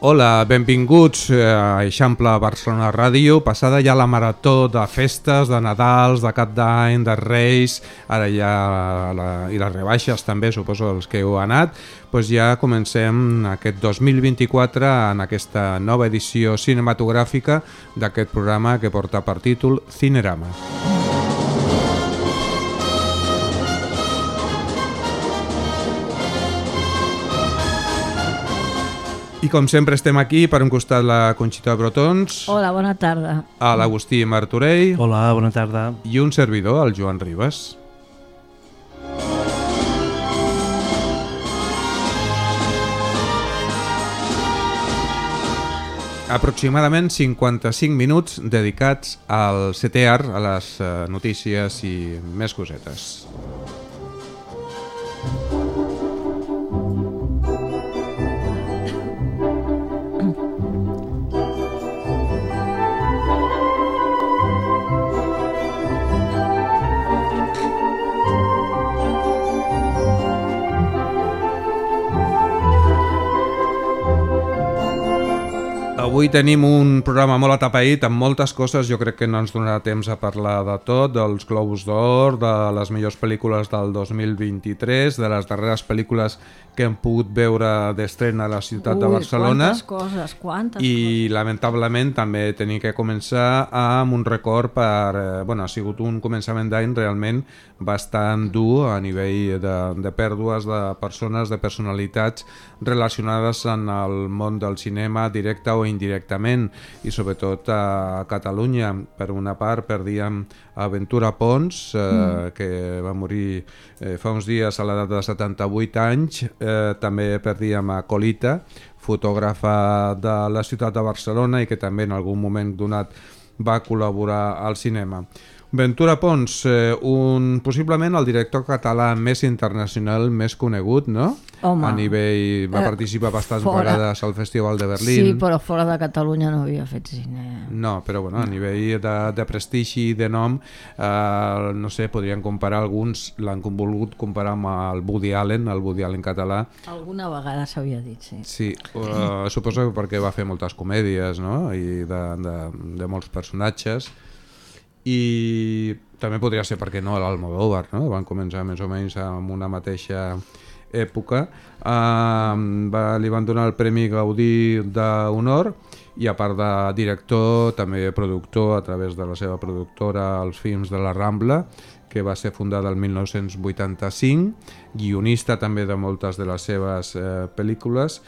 Hola, benvinguts a Eixample Barcelona Ràdio. Passada ja la marató de festes, de Nadals, de Cap d'Any, de Reis, ara ja i les rebaixes també, suposo els que heu anat, doncs ja comencem aquest 2024 en aquesta nova edició cinematogràfica d'aquest programa que porta per títol Cinerama. I com sempre estem aquí, per un costat la Conxita Brotons. Hola, bona tarda. A l'Agustí Martorell. Hola, bona tarda. I un servidor, el Joan Ribas. Aproximadament 55 minuts dedicats al CTR, a les notícies i més cosetes. Avui tenim un programa molt atapeït amb moltes coses, jo crec que no ens donarà temps a parlar de tot, dels Globus d'Or, de les millors pel·lícules del 2023, de les darreres pel·lícules que hem pogut veure d'estrena a la ciutat de Barcelona. Quantes I lamentablement també tenim que començar amb un record per... ha sigut un començament d'any realment bastant dur a nivell de pèrdues de persones, de personalitats relacionades en el món del cinema directe o indirectament, i sobretot a Catalunya. Per una part perdíem a Ventura Pons, que va morir fa uns dies a l'edat de 78 anys. També perdíem a Colita, fotògrafa de la ciutat de Barcelona i que també en algun moment donat va col·laborar al cinema. Ventura Pons, possiblement el director català més internacional, més conegut, no? Home, a nivell, va participar bastants vegades al Festival de Berlín. Sí, però fora de Catalunya no havia fet cine. No, però a nivell de prestigi i de nom, no sé, podrien comparar alguns, l'han volgut comparar amb el Woody Allen català. Alguna vegada s'havia dit, sí. Sí, suposo que perquè va fer moltes comèdies, no? I de molts personatges. I també podria ser, perquè no, l'Almodóvar, no? Van començar més o menys amb una mateixa època. Li van donar el Premi Gaudí d'Honor i a part de director, també productor a través de la seva productora Els Films de la Rambla, que va ser fundada el 1985, guionista també de moltes de les seves pel·lícules.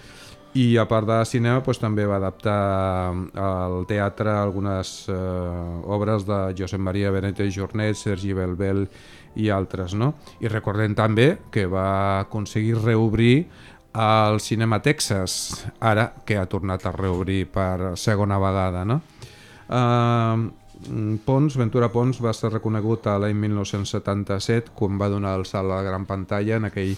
I a part de cinema també va adaptar al teatre algunes obres de Josep Maria Benet i Jornet, Sergi Belbel i altres, no? I recordem també que va aconseguir reobrir el Cinema Texas, ara que ha tornat a reobrir per segona vegada, no? Ventura Pons va ser reconegut l'any 1977 quan va donar el salt a la gran pantalla en aquell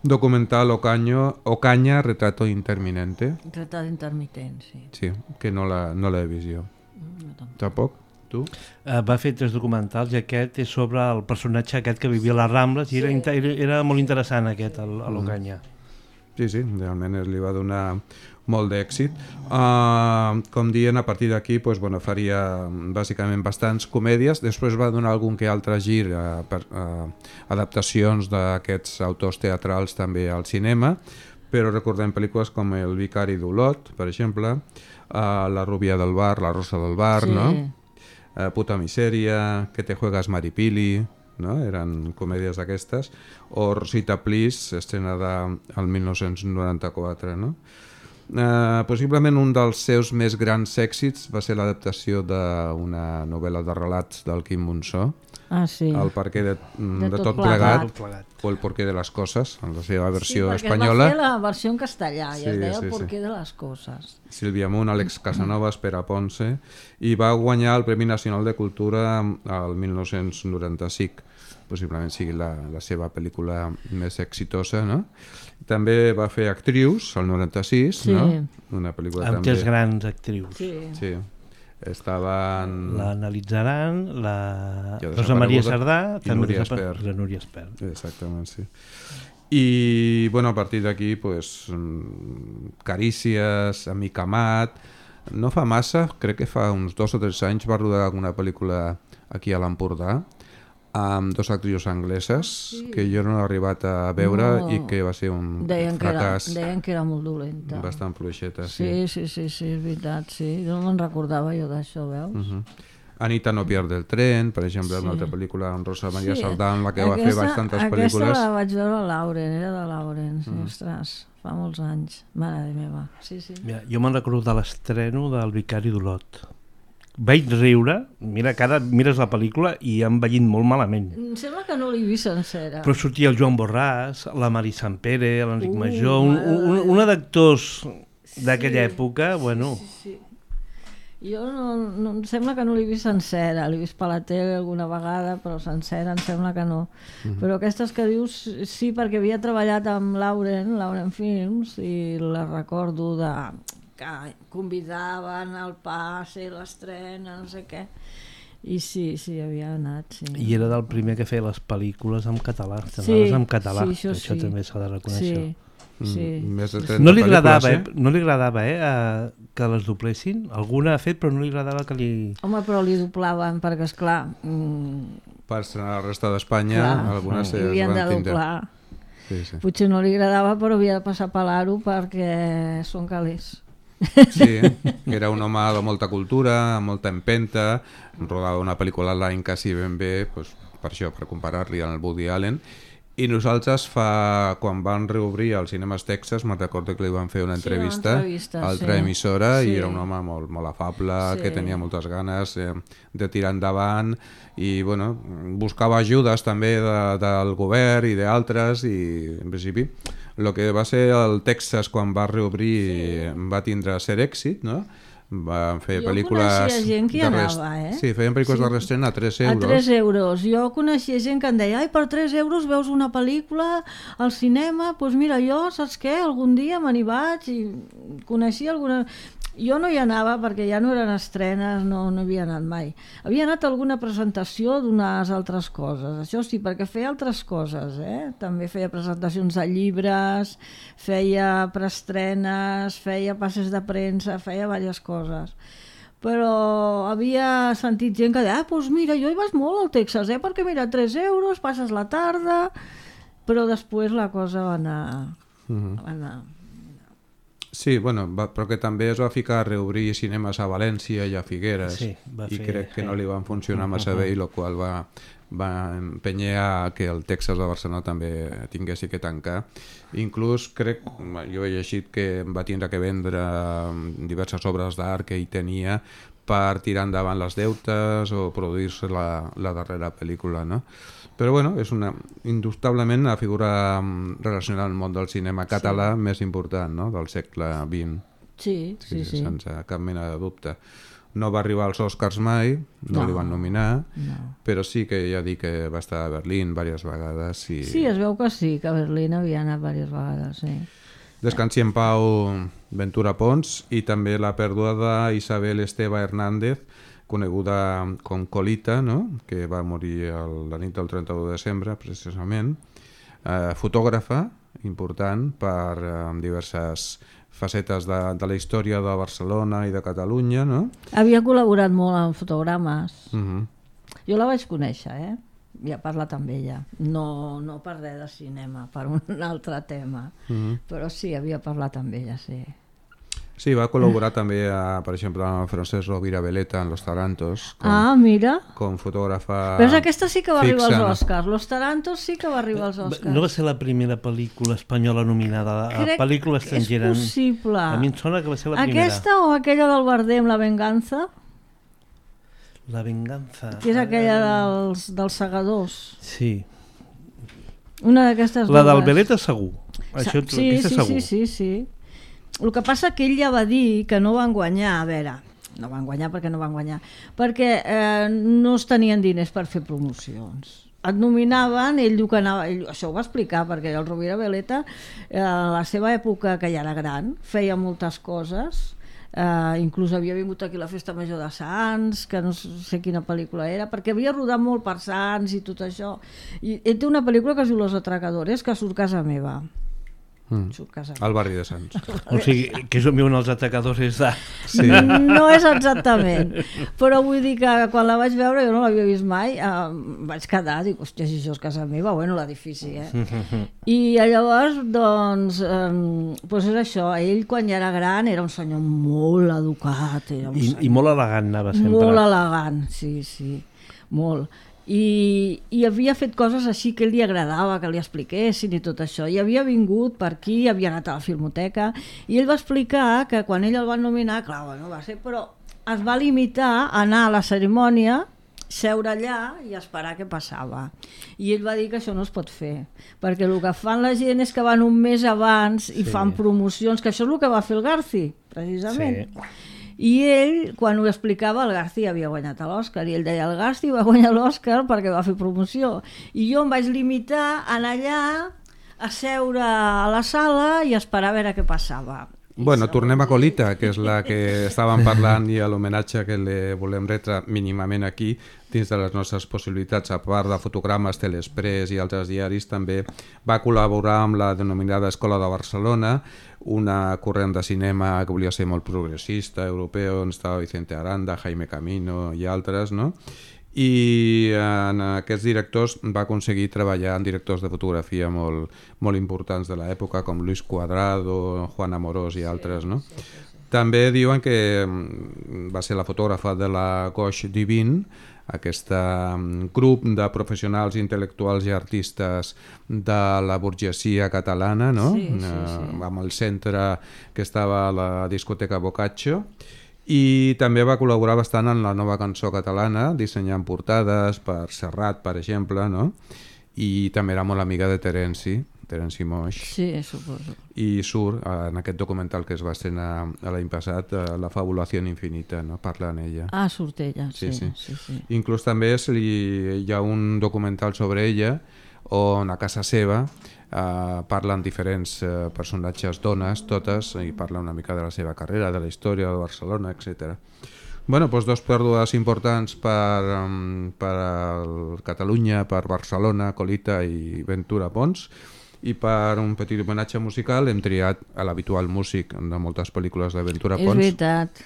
documental Ocaña, Retrato Interminente. Retrato Intermitent, sí. Sí, que no l'he vist jo. No, tampoc. Tu? Va fer 3 documentals i aquest és sobre el personatge aquest que vivia a les Rambles i era molt interessant aquest, l'Ocaña. Sí, realment li va donar molt d'èxit. Com dient, a partir d'aquí faria bàsicament bastants comèdies. Després va donar algun que altre gir per adaptacions d'aquests autors teatrals també al cinema, però recordem pel·lícules com El vicari d'Olot, per exemple, La rubia del bar, La rosa del bar, sí. No? Puta misèria, Que te juegas Maripili, no? Eren comèdies d'aquestes, o Rosita Please, estrenada el 1994, no? Possiblement un dels seus més grans èxits va ser l'adaptació d'una novel·la de relats del Quim Monzó, sí. El perquè de tot plegat, o El porqué de les coses, en la seva versió espanyola. Sí, perquè va fer la versió en castellà i es deia El porqué de les coses. Sílvia Munt, Àlex Casanovas, Pere Ponce, i va guanyar el Premi Nacional de Cultura el 1995. Possiblement sigui la seva pel·lícula més exitosa, no? També va fer Actrius, el 96, sí. No? Una pel·lícula amb també... 3 grans actrius. Sí. estaven... L'analitzaran, la Rosa Maria Sardà, també la Núria Espert. Exactament, sí. I, bueno, a partir d'aquí, pues, Carícies, Amic Amat... No fa massa, crec que fa uns 2 o 3 anys va rodar alguna pel·lícula aquí a l'Empordà amb 2 actrius angleses que jo no he arribat a veure i que va ser un fracàs. Deien que era molt dolenta. Bastant fluixeta, sí. Sí, és veritat, sí. No me'n recordava jo d'això, veus? Anita no pierde el tren, per exemple, una altra pel·lícula amb Rosa Maria Sardà, en la que va fer bastantes pel·lícules. Aquesta la vaig veure a Lauren, era de Lauren, ostres, fa molts anys, mare meva. Sí. Mira, jo me'n recordo de l'estreno del Vicari d'Olot. Vaig riure, mira, que ara mires la pel·lícula i han envellit molt malament. Em sembla que no l'he vist sencera. Però sortia el Joan Borràs, la Mari Sampere, l'Enric Major, una d'actors d'aquella època, bueno... Sí. Jo no, em sembla que no l'he vist sencera, l'he vist per la tele alguna vegada, però sencera em sembla que no. Però aquestes que dius, sí, perquè havia treballat amb Lauren Films, i la recordo que convidaven al pas i l'estrena, no sé què, i sí, havia anat, sí. I era del primer que feia les pel·lícules en català, això també s'ha de reconèixer. Sí. No li agradava que les doblessin, alguna ha fet però no li agradava que li... Home, però li doblaven perquè, esclar, per a la resta d'Espanya algunes es van tindre. Sí. Potser no li agradava, però havia de passar per l'aro perquè són calés. Sí, era un home de molta cultura, amb molta empenta, rodava una pel·lícula l'any quasi ben bé, doncs, per això, per comparar-li amb el Woody Allen. I nosaltres, quan van reobrir els Cinemes Texas, me'n recordo que li van fer una entrevista a altra emissora, i era un home molt afable, que tenia moltes ganes de tirar endavant, i bueno, buscava ajudes també del govern i d'altres, i en principi el que va ser el Texas quan va reobrir va tindre ser èxit, no? Van fer pel·lícules... Jo coneixia gent que hi anava, Sí, feien pel·lícules de reestrena a 3 euros. A 3 euros. Jo coneixia gent que em deia, per 3 euros veus una pel·lícula al cinema, doncs mira, jo, saps què, algun dia me n'hi vaig i coneixia alguna... Jo no hi anava perquè ja no eren estrenes, no havia anat mai. Havia anat a alguna presentació d'unes altres coses, això sí, perquè feia altres coses, també feia presentacions de llibres, feia preestrenes, feia passes de premsa, feia diverses coses. Però havia sentit gent que deia, doncs mira, jo hi vas molt al Texas, perquè mira, 3 euros, passes la tarda, però després la cosa va anar... Sí, bueno, però que també es va ficar a reobrir cinemes a València i a Figueres, i crec que no li van funcionar massa bé, i el qual va empènyer a que el Texas de Barcelona també tinguessi que tancar. Inclús crec, jo he llegit que va tindre que vendre diverses obres d'art que ell tenia per tirar endavant les deutes o produir-se la darrera pel·lícula, no? Però bueno, és indubtablement la figura relacionada al món del cinema català més important, no?, del segle XX. Sí. Sense cap mena de dubte. No va arribar als Oscars mai, no li van nominar, però sí que ja dic que va estar a Berlín diverses vegades. Sí, es veu que sí, que a Berlín havia anat diverses vegades, sí. Descansi en pau Ventura Pons, i també la pèrdua d'Isabel Esteva Hernández, coneguda com Colita, no?, que va morir la nit del 31 de desembre, precisament. Fotògrafa, important per diverses facetes de la història de Barcelona i de Catalunya, no? Havia col·laborat molt en fotogrames. Jo la vaig conèixer, ja he parlat amb ella. No per res de cinema, per un altre tema, però sí, havia parlat amb ella, sí. Sí, va col·laborar també, per exemple, amb Francesc Rovira Veleta en Los Tarantos. Mira. Com fotògrafa... Però aquesta sí que va arribar als Oscars. Los Tarantos sí que va arribar als Oscars. No va ser la primera pel·lícula espanyola nominada a pel·lícula estrangera? És possible. A mi em sona que va ser la primera. Aquesta o aquella del Bardem, La Venganza? La Venganza. Que és aquella dels segadors. Sí. Una d'aquestes dues. La del Veleta segur. Sí. El que passa que ell ja va dir que no van guanyar, a veure, no van guanyar, perquè no es tenien diners per fer promocions. Et nominaven, ell diu que anava, això ho va explicar, perquè el Rovira Veleta, a la seva època, que ja era gran, feia moltes coses, inclús havia vingut aquí a la Festa Major de Sants, que no sé quina pel·lícula era, perquè havia rodat molt per Sants i tot això. I ell té una pel·lícula que es diu Los Atracadores, que surt casa meva. Surt casa meva. Al barri de Sants. O sigui, que és on viuen els atacadors és de... Sí. No és exactament, però vull dir que quan la vaig veure, jo no l'havia vist mai, vaig quedar, dic, hòstia, si això és casa meva, bueno, l'edifici, I llavors, doncs, doncs és això, ell quan ja era gran era un senyor molt educat, era un senyor I molt elegant anava sempre. molt elegant, sí, molt. I havia fet coses així que li agradava que li expliquessin i tot això, i havia vingut per aquí, havia anat a la Filmoteca, i ell va explicar que quan ell el van nominar, clar, bueno, va ser, però es va limitar a anar a la cerimònia, seure allà i esperar què passava, i ell va dir que això no es pot fer, perquè el que fan la gent és que van un mes abans i fan promocions, que això és el que va fer el Garci, precisament. I ell, quan ho explicava, el Garci havia guanyat l'Oscar, i ell deia, el Garci va guanyar l'Oscar perquè va fer promoció. I jo em vaig limitar a anar allà, a seure a la sala i esperar a veure què passava. Bueno, tornem a Colita, que és la que estàvem parlant, i a l'homenatge que li volem retre mínimament aquí, dins de les nostres possibilitats, a part de fotogrames, Telexpress i altres diaris, també va col·laborar amb la denominada Escola de Barcelona, una corrent de cinema que volia ser molt progressista, europeu, on estava Vicente Aranda, Jaime Camino i altres, no? I en aquests directors va aconseguir treballar amb directors de fotografia molt importants de l'època, com Luis Cuadrado, Juan Amorós i altres, no? També diuen que va ser la fotògrafa de la Gauche Divine, aquest grup de professionals intel·lectuals i artistes de la burgesia catalana, no? Amb el centre que estava a la discoteca Boccaccio, i també va col·laborar bastant en la nova cançó catalana, dissenyant portades per Serrat, per exemple, no? I també era molt amiga de Terenci Moix. Sí, suposo. I surt en aquest documental que es va estrenar l'any passat, La fabulació infinita, no? Parla en ella. Ah, surt ella, sí. Inclús també hi ha un documental sobre ella on a casa seva parlen diferents personatges, dones, totes, i parla una mica de la seva carrera, de la història de Barcelona, etc. Bueno, doncs dos pèrdues importants per Catalunya, per Barcelona, Colita i Ventura Pons, i per un petit homenatge musical hem triat a l'habitual músic de moltes pel·lícules de Ventura Pons. És veritat.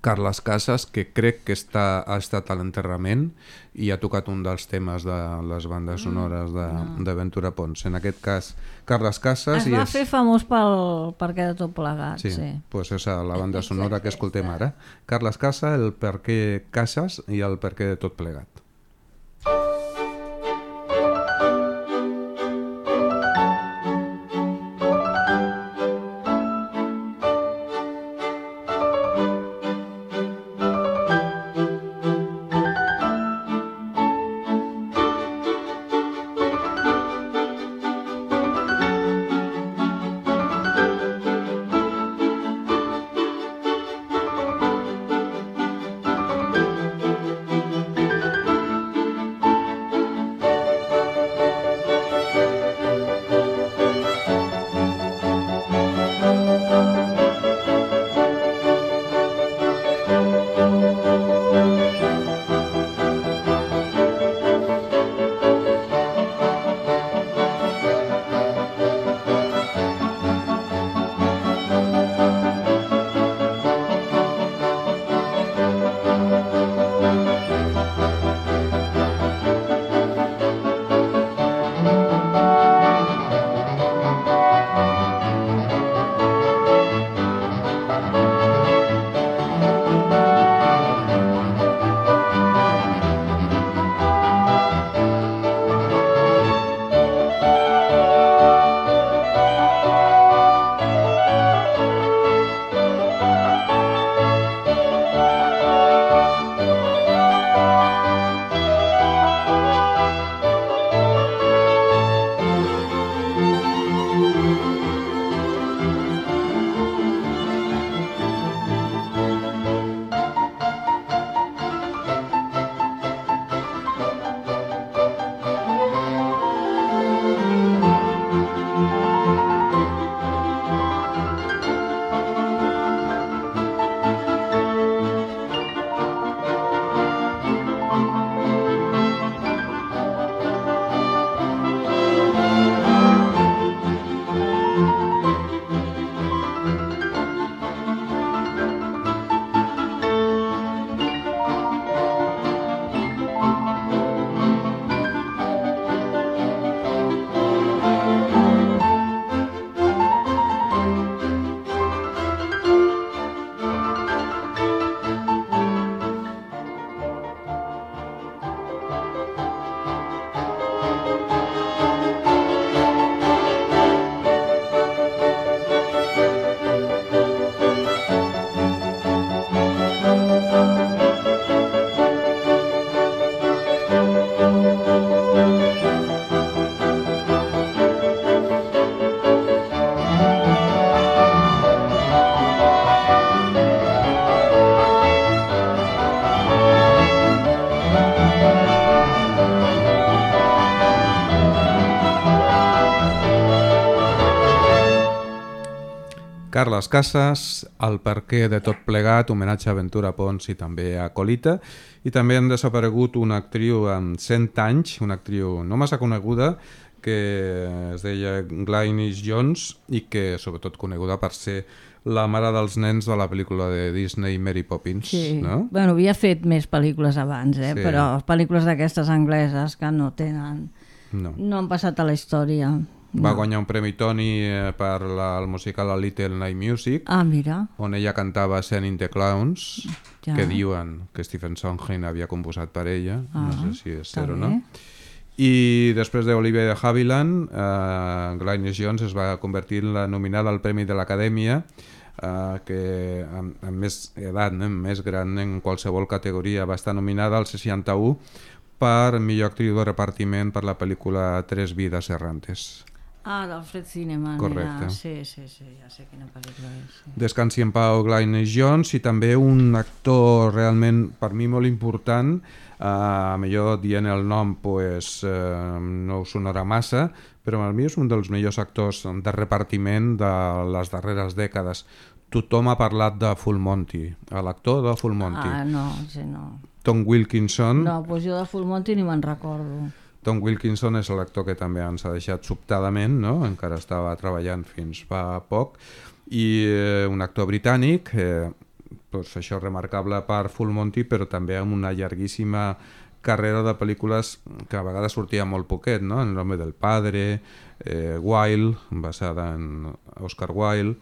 Carles Casas, que crec que ha estat a l'enterrament i ha tocat un dels temes de les bandes sonores de Ventura Pons. En aquest cas, Carles Casas... Es va fer famós per què de tot plegat. Sí, doncs és la banda sonora que escoltem ara. Carles Casas, el per què Casas i el per què de tot plegat. Carles Casas, El perquè de tot plegat, homenatge a Ventura Pons i també a Colita, i també han desaparegut una actriu amb 100 anys, una actriu no massa coneguda, que es deia Glynis Jones i que sobretot coneguda per ser la mare dels nens de la pel·lícula de Disney Mary Poppins. Sí. No? Bueno, havia fet més pel·lícules abans, Sí. però pel·lícules d'aquestes angleses que no tenen... No han passat a la història. Va guanyar un premi Tony per el musical A Little Night Music, Ah, mira. on ella cantava Sending the Clowns, Ja. que diuen que Stephen Sondheim havia composat per ella, no sé si és està cert o bé. no. I després d'Olivia de Havilland, Glynis Jones es va convertir en la nominada al Premi de l'Acadèmia, que amb més edat, més gran en qualsevol categoria, va estar nominada al 61 per millor actriu de repartiment per la pel·lícula Tres vides errantes. Ah, d'Alfred Cineman. Correcte. Era. Sí, ja sé quina pel·lícula és. Sí. Descansi en pau Glynis Jones, i també un actor realment per mi molt important, millor dient el nom pues, no us sonarà massa, però per mi és un dels millors actors de repartiment de les darreres dècades. Tothom ha parlat de Full Monty, l'actor de Full Monty. Ah, no, sí, no. Tom Wilkinson. No, doncs jo de Full Monty ni me'n recordo. Tom Wilkinson és l'actor que també ens ha deixat sobtadament, no? Encara estava treballant fins fa poc, i un actor britànic, doncs això remarcable per Full Monty, però també amb una llarguíssima carrera de pel·lícules que a vegades sortia molt poquet, no? El nombre del padre, Wilde, basada en Oscar Wilde,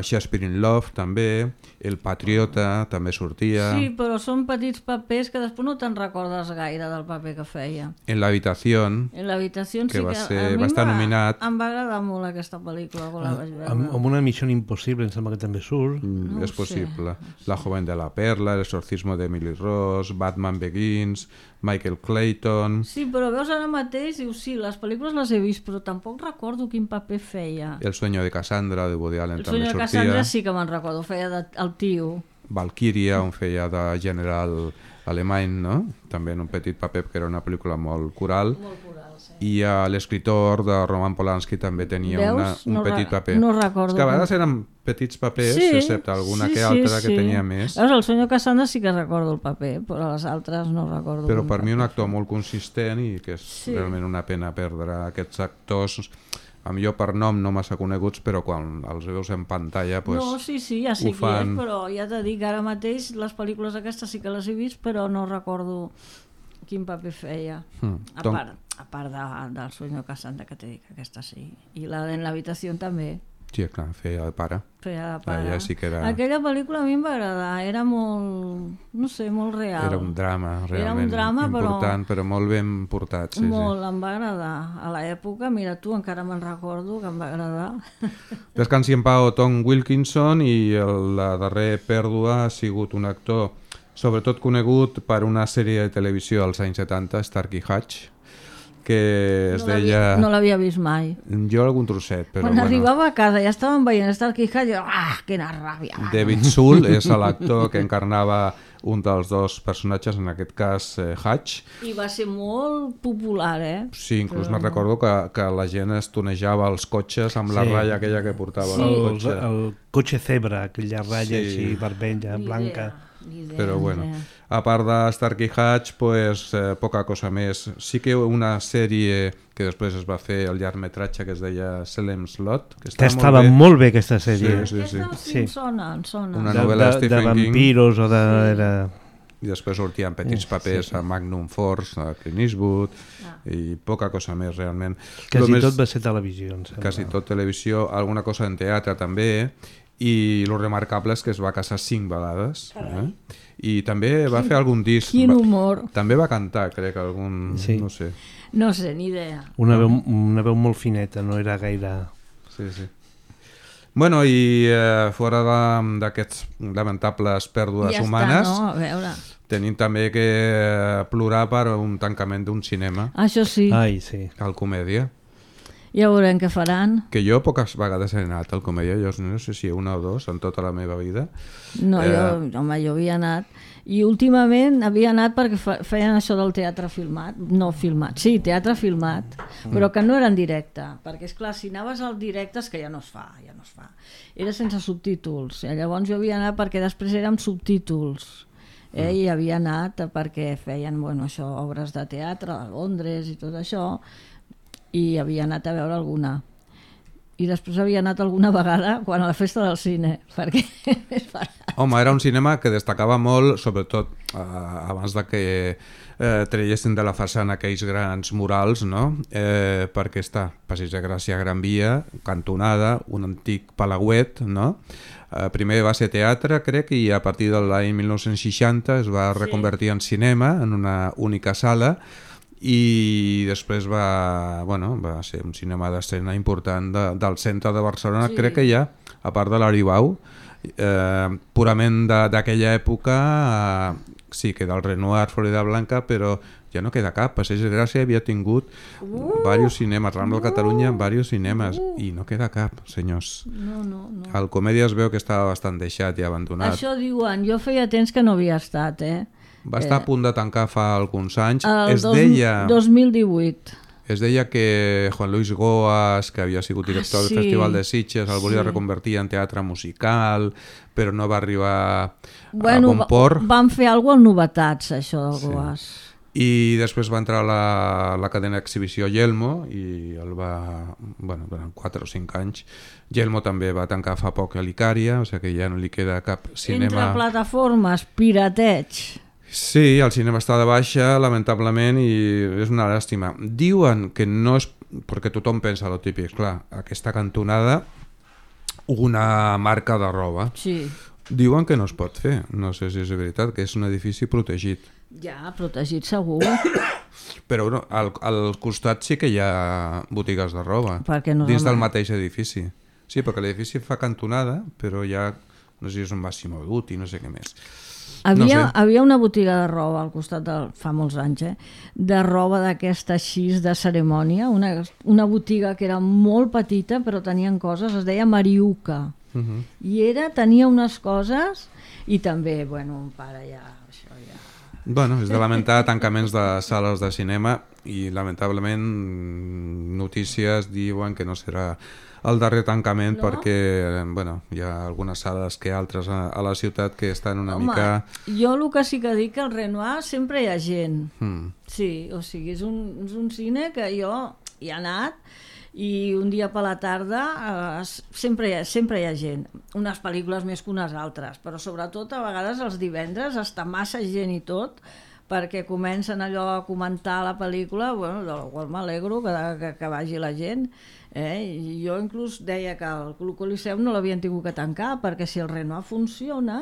Shakespeare in Love també, El patriota també sortia. Sí, però són petits papers que després no te'n recordes gaire del paper que feia. En la habitación, En l'habitació que sí va que ser- a mi va estar nominat. Em va agradar molt aquesta pel·lícula quan la vaig veure. Amb una Missió Impossible, em sembla que també surt. No ho és sé, possible. La joven de la perla, El exorcismo de Emily Ross, Batman Begins, Michael Clayton, Sí, però veus ara mateix, dius, sí, les pel·lícules les he vist, però tampoc recordo quin paper feia. El sueño de Cassandra de Woody Allen El també senyor sortia. Cassandra sí que me'n recordo, feia el tio. Valkyria, on feia de general alemany, no? També en un petit paper, que era una pel·lícula molt coral. Molt coral, sí. I l'escriptor de Roman Polanski també tenia Veus? un No petit paper. no recordo. És que a vegades eren petits papers, excepte alguna que altra que tenia més. Veus, el senyor Cassandra sí que recordo el paper, però les altres no recordo. Però quin per mi un paper actor feia. molt consistent, i que és Sí. realment una pena perdre aquests actors, a millor per nom no massa coneguts, però quan els veus en pantalla pues, No, sí, ja sé ho qui fan. és, però ja t'he dit que ara mateix les pel·lícules aquestes sí que les he vist, però no recordo quin paper feia. A part del senyor Cassandra, que t'he dit que aquesta sí. I la de l'habitació també. Sí, clar, feia de pare. Feia de pare. Ja sí que era... Aquella pel·lícula a mi em va agradar, era molt, no sé, molt real. Era un drama realment Era un drama, important, però molt ben portat. Sí, molt, em va agradar. A l'època, mira tu, encara me'n recordo que em va agradar. Descansi en pau Tom Wilkinson, i la darrera pèrdua ha sigut un actor sobretot conegut per una sèrie de televisió als anys 70, Starkey Hatch, que es deia... No l'havia vist mai. Jo algun trosset, però Quan bueno. arribava a casa ja estàvem veient Starkey Hatch, jo, quina ràbia. David Soul és l'actor que encarnava un dels dos personatges, en aquest cas Hatch. I va ser molt popular, Sí, inclús me'n recordo que la gent es tonejava els cotxes amb la Sí. ratlla aquella que portava el El, cotxe. el cotxe Zebra, aquella ratlla Sí. així vermella, blanca. Però bueno, a part de Starkey Hatch, pues, poca cosa més. Sí que una sèrie que després es va fer, el llargmetratge, que es deia Salem Slot, que Que estava molt bé. molt bé aquesta sèrie. Sí, sí. Aquesta sí, em sona, em sona. Una novel·la de Stephen King. vampiros o de... Era... I després sortien petits papers a Magnum Force, a Clint Eastwood, i poca cosa més realment. Quasi Lo més- tot va ser televisió, em sembla. Quasi tot televisió, alguna cosa en teatre també, i lo remarcable és que es va casar 5 vegades. I també va fer algun disc. Quin humor. També va cantar, crec, algun... Sí. No sé. No sé, ni idea. Una veu molt fineta, no era gaire... Sí, sí. Bueno, i fora d'aquests lamentables pèrdues Ja humanes, està, no? A veure. tenim també que plorar per un tancament d'un cinema, Això sí. Ai, sí. al Comèdia. Ja veurem què faran. Que jo poques vegades he anat al Comèdia, jo no sé si una o dos en tota la meva vida. No, jo havia anat. I últimament havia anat perquè feien això del teatre filmat. No filmat, sí, teatre filmat, però que no era en directe. Perquè, esclar, si anaves al directe és que ja no es fa. Era sense subtítols. Llavors jo havia anat perquè després era amb subtítols. I havia anat perquè feien això, obres de teatre a Londres i tot això, i havia anat a veure alguna. I després havia anat alguna vegada quan a la festa del cine, perquè és barat. Home, era un cinema que destacava molt, sobretot abans de que traiessin de la façana aquells grans murals, no? Perquè està Passeig de Gràcia, Gran Via, cantonada, un antic palauet, no? Primer va ser teatre, crec, i a partir de l'any 1960 es va reconvertir en cinema, en una única sala, i després va ser un cinema d'escena important del centre de Barcelona, crec que ja, a part de l'Aribau, purament d'aquella època, sí, que del Renoir, Florida Blanca, però ja no queda cap. Passeig de Gràcia havia tingut diversos cinemes, Rambla de Catalunya, diversos cinemes, i no queda cap, senyors. No. El Comèdia es veu que estava bastant deixat i abandonat. Això diuen, jo feia temps que no havia estat, Va estar a punt de tancar fa alguns anys. El 2018. Es deia que Juan Luis Goas, que havia sigut director del Festival de Sitges, el volia reconvertir en teatre musical, però no va arribar a bon port. Van fer alguna cosa en Novetats, això del Goas. I després va entrar a la cadena d'exhibició Yelmo i el va, durant 4 o 5 anys. Yelmo també va tancar fa poc a l'Icària, o sigui que ja no li queda cap cinema. Entre plataformes, pirateig. Sí, el cinema està de baixa, lamentablement, i és una llàstima. Diuen que no és... perquè tothom pensa lo típic, clar, aquesta cantonada, una marca de roba. Sí. Diuen que no es pot fer, no sé si és veritat, que és un edifici protegit. Ja, protegit segur. Però al costat sí que hi ha botigues de roba, no dins del mateix edifici. Sí, perquè l'edifici fa cantonada, però ja, no sé si és un Massimo Dutti, no sé què més. Havia una botiga de roba al costat, fa molts anys, de roba d'aquesta així de cerimònia, una botiga que era molt petita però tenien coses, es deia Mariuca. I tenia unes coses i també, un pare ja... És de lamentar tancaments de sales de cinema i lamentablement notícies diuen que no serà el darrer tancament, perquè hi ha algunes sales que altres a la ciutat que estan una mica... Jo el que sí que dic que al Renoir sempre hi ha gent. Sí, o sigui, és un cine que jo hi he anat i un dia per la tarda sempre hi ha gent. Unes pel·lícules més que unes altres, però sobretot a vegades els divendres està massa gent i tot, perquè comencen allò a comentar la pel·lícula, de la qual m'alegro que vagi la gent. Jo inclús deia que el Club Coliseum no l'havien tingut que tancar, perquè si el Renoir funciona,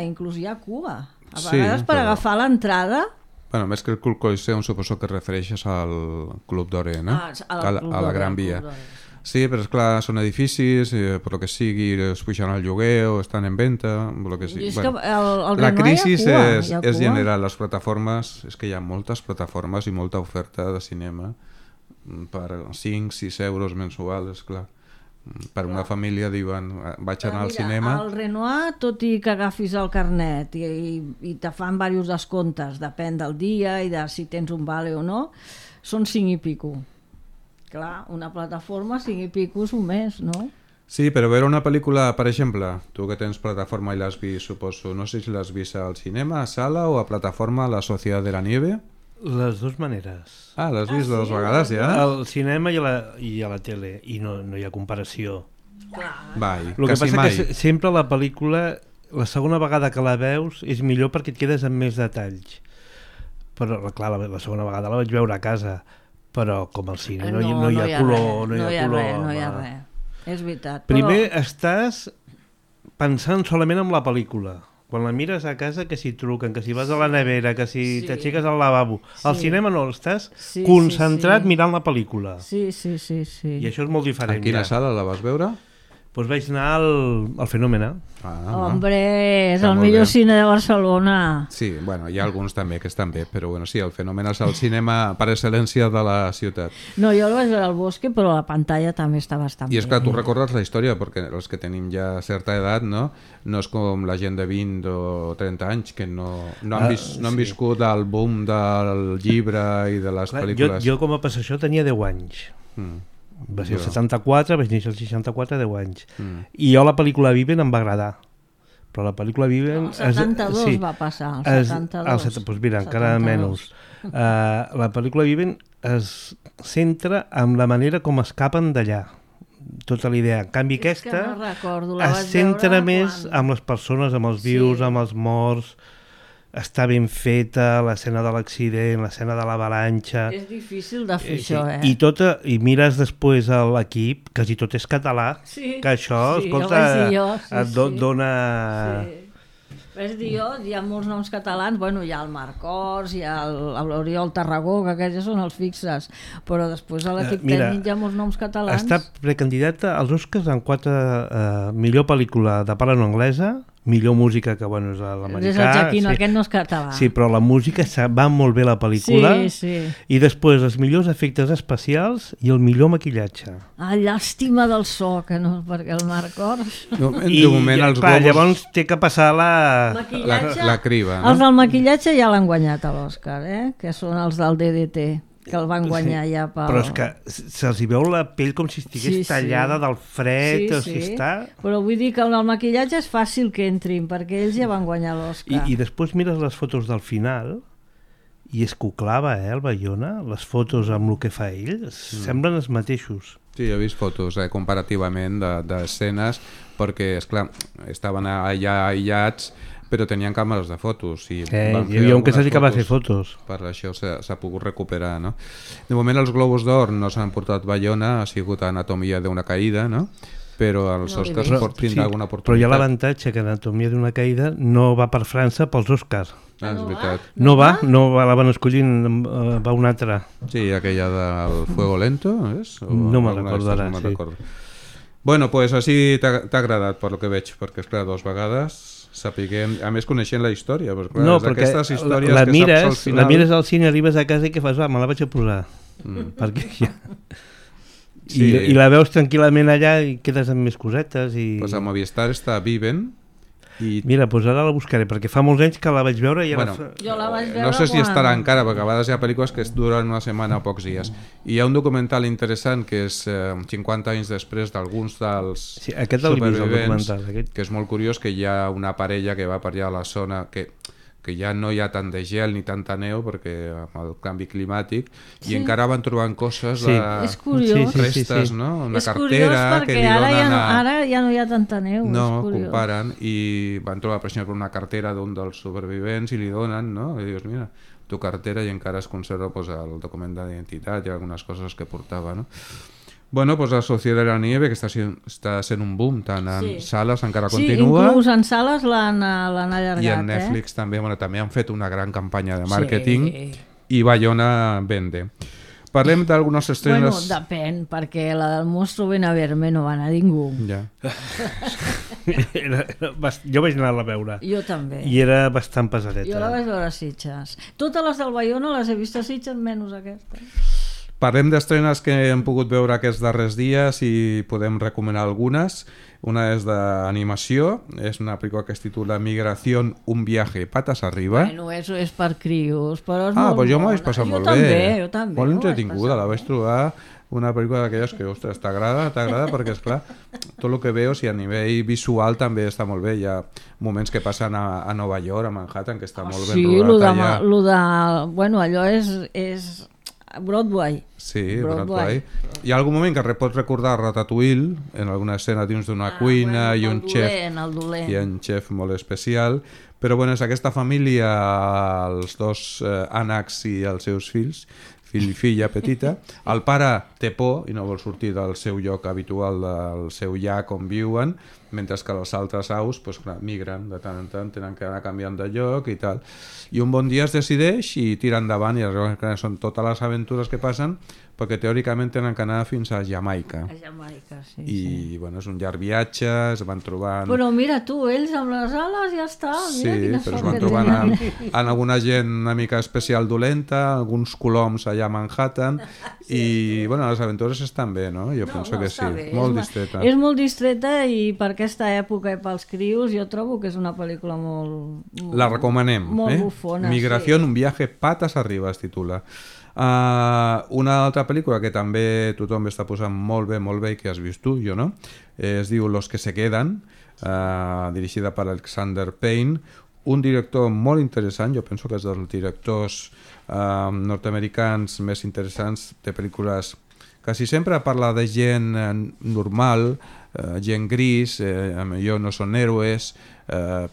inclús hi ha cua. A vegades per agafar l'entrada... Més que el Club Coliseum suposo que refereixes al Club Doré, no? A la Gran Via. Sí, però esclar, són edificis, per lo que sigui, es puixen al lloguer o estan en venta, per lo que sigui. La crisi és general, les plataformes, és que hi ha moltes plataformes i molta oferta de cinema per 5-6 euros mensuals, esclar. Per una família diuen, vaig anar al cinema... Al Renoir, tot i que agafis el carnet i te fan diversos descomptes, depèn del dia i de si tens un vale o no, són 5 i pico. Clar, una plataforma 5 i pico és un mes, no? Sí, però veure una pel·lícula, per exemple, tu que tens plataforma i l'has vist, suposo, no sé si l'has vist al cinema, a sala o a plataforma, La Sociedad de la Nieve? Les dues maneres. L'has vist dues vegades ja? Al cinema i a la tele, i no hi ha comparació. Mai, el que quasi passa mai. Que sempre la pel·lícula, la segona vegada que la veus és millor perquè et quedes amb més detalls. Però clar, la segona vegada la vaig veure a casa, però com al cine no hi ha color, no hi ha color. No hi ha res, és veritat. Primer estàs pensant solament en la pel·lícula. Quan la mires a casa, que si truquen, que si vas a la nevera, que si t'aixeques al lavabo. Al cinema no, estàs concentrat mirant la pel·lícula. Sí. I això és molt diferent. En quina sala la vas veure? Doncs vaig anar al Fenòmena. Hombre, és el millor cine de Barcelona. Sí, bueno, hi ha alguns també que estan bé, però bueno, sí, el Fenòmena és el cinema per excel·lència de la ciutat. No, jo el vaig veure al Bosque, però la pantalla també està bastant bé. I és que tu recordes la història, perquè els que tenim ja certa edat, no és com la gent de 20 o 30 anys que no han viscut el boom del llibre i de les pel·lícules. Jo com a passar això tenia 10 anys. Va ser el 74, vaig néixer el 64, 10 anys. I jo la pel·lícula Viven em va agradar. Però la pel·lícula Viven... El 72 va passar, el 72. Doncs mira, encara menys. La pel·lícula Viven es centra en la manera com escapen d'allà. Tota la idea. En canvi aquesta es centra més amb les persones, amb els vius, amb els morts. Està ben feta, l'escena de l'accident, l'escena de l'avalanxa... És difícil de fer això, I mires després a l'equip, quasi tot és català, que això, escolta, et dona... Vaig dir jo, hi ha molts noms catalans, bueno, hi ha el Marc Ors, hi ha l'Oriol Tarragó, que aquests ja són els fixes, però després a l'equip tècnic hi ha molts noms catalans. Està precandidata als Oscars en 4 millor pel·lícula de parla no anglesa, millor música, que bueno, és l'americà. És el Jaquino, aquest no és català. Sí, però la música va molt bé la pel·lícula. I després els millors efectes especials i el millor maquillatge. Llàstima del so, que no, perquè el Marc Ors... De moment els globus... Llavors té que passar la criba. Els del maquillatge ja l'han guanyat a l'Òscar, que són els del DDT, que el van guanyar ja pel... Però és que se'ls hi veu la pell com si estigués tallada del fred, o si està... Però vull dir que el maquillatge és fàcil que entrin, perquè ells ja van guanyar l'Òscar. I després mires les fotos del final i és que ho clava, el Bayona, les fotos amb el que fa ell, semblen els mateixos. Sí, he vist fotos comparativament d'escenes, perquè, esclar, estaven allà aïllats, però tenien càmeres de fotos i hi havia un que s'ha de fer fotos, per això s'ha pogut recuperar, no? De moment els Globus d'Or no s'han portat Bayona, ha sigut Anatomia d'una caïda, no? Però els Oscars tindrà alguna oportunitat. Però hi ha l'avantatge que Anatomia d'una caïda no va per França pels Oscars. És veritat. No la van escollint, va una altra. Sí, aquella del Fuego Lento, és? No me'n recordo ara, Bueno, pues així t'ha agradat, per lo que veig, perquè és clar, 2 vegades sapiguem, a més coneixent la història, però clar, no, perquè la mires al cine, arribes a casa i què fas? Me la vaig a posar, perquè ja... I la veus tranquil·lament allà i quedes amb més cosetes i... Pues a Movistar està Viven i... Mira, doncs ara la buscaré, perquè fa molts anys que la vaig veure i jo la vaig veure no sé si estarà encara, perquè a vegades hi ha pel·lícules que duren una setmana o pocs dies. I hi ha un documental interessant que és 50 anys després d'alguns dels supervivents, que és molt curiós, que hi ha una parella que va per allà a la zona que ja no hi ha tant de gel ni tanta neu perquè amb el canvi climàtic i encara van trobant coses restes, no? Una cartera que li donen ara ja no hi ha tanta neu. No, comparen i van trobar per exemple una cartera d'un dels supervivents i li donen, no? I dius, mira, tu cartera, i encara es conserva el document d'identitat i algunes coses que portava, no? Bueno, pues la Sociedad de la Nieve, que està sent un boom, tant en sales encara continua. Sí, inclús en sales l'han allargat. I en Netflix també, també han fet una gran campanya de màrqueting i Bayona vende. Parlem d'algunes estrenes... Bueno, depèn, perquè la del Monstruo Ven a Verme no va anar ningú. Ja. Jo vaig anar a veure. Jo també. I era bastant pesadeta. Jo la vaig veure a Sitges. Totes les del Bayona les he vist a Sitges, menys aquesta. Parlem d'estrenes que hem pogut veure aquests darrers dies i podem recomanar algunes. Una és d'animació, és una pel·lícula que es titula Migración, un viaje patas arriba. Bueno, eso és per crios, però és molt pues jo m'ho vaig passar molt bé. Jo també. Molt entretinguda, la vaig trobar una pel·lícula d'aquelles que, ostres, t'agrada perquè, esclar, tot el que veo, si a nivell visual també està molt bé. Hi ha moments que passen a Nova York, a Manhattan, que està molt ben rodat allà. Bueno, allò és Broadway. Sí, Broadway. Hi ha algun moment que pots recordar Ratatouille, en alguna escena dins d'una cuina i un xef molt especial, però bueno, és aquesta família, els 2 ànecs i els seus fills, fill i filla petita. El pare té por i no vol sortir del seu lloc habitual, del seu llac on viuen, mentre que els altres aus migren de tant en tant, tenen que anar canviant de lloc i tal. I un bon dia es decideix i tira endavant, i són totes les aventures que passen perquè teòricament tenen que anar fins a Jamaica. A Jamaica, sí. I bueno, és un llarg viatge, es van trobant... Però mira tu, ells amb les ales ja està. Mira Sí, però es van trobant amb alguna gent una mica especial dolenta, alguns coloms allà a Manhattan, i bueno, les aventures estan bé, no? Jo penso que sí, bé. molt distreta. És molt distreta i per aquesta època i pels crios jo trobo que és una pel·lícula molt La recomanem. molt bufona. Migració, sí. un viaje patas arriba es titula. Una altra pel·lícula que també tothom està posant molt bé i que has vist tu, jo no, es diu Los que se quedan, dirigida per Alexander Payne, un director molt interessant, jo penso que és dels directors nord-americans més interessants de pel·lícules. Quasi sempre parla de gent normal, gent gris, millor no són héroes,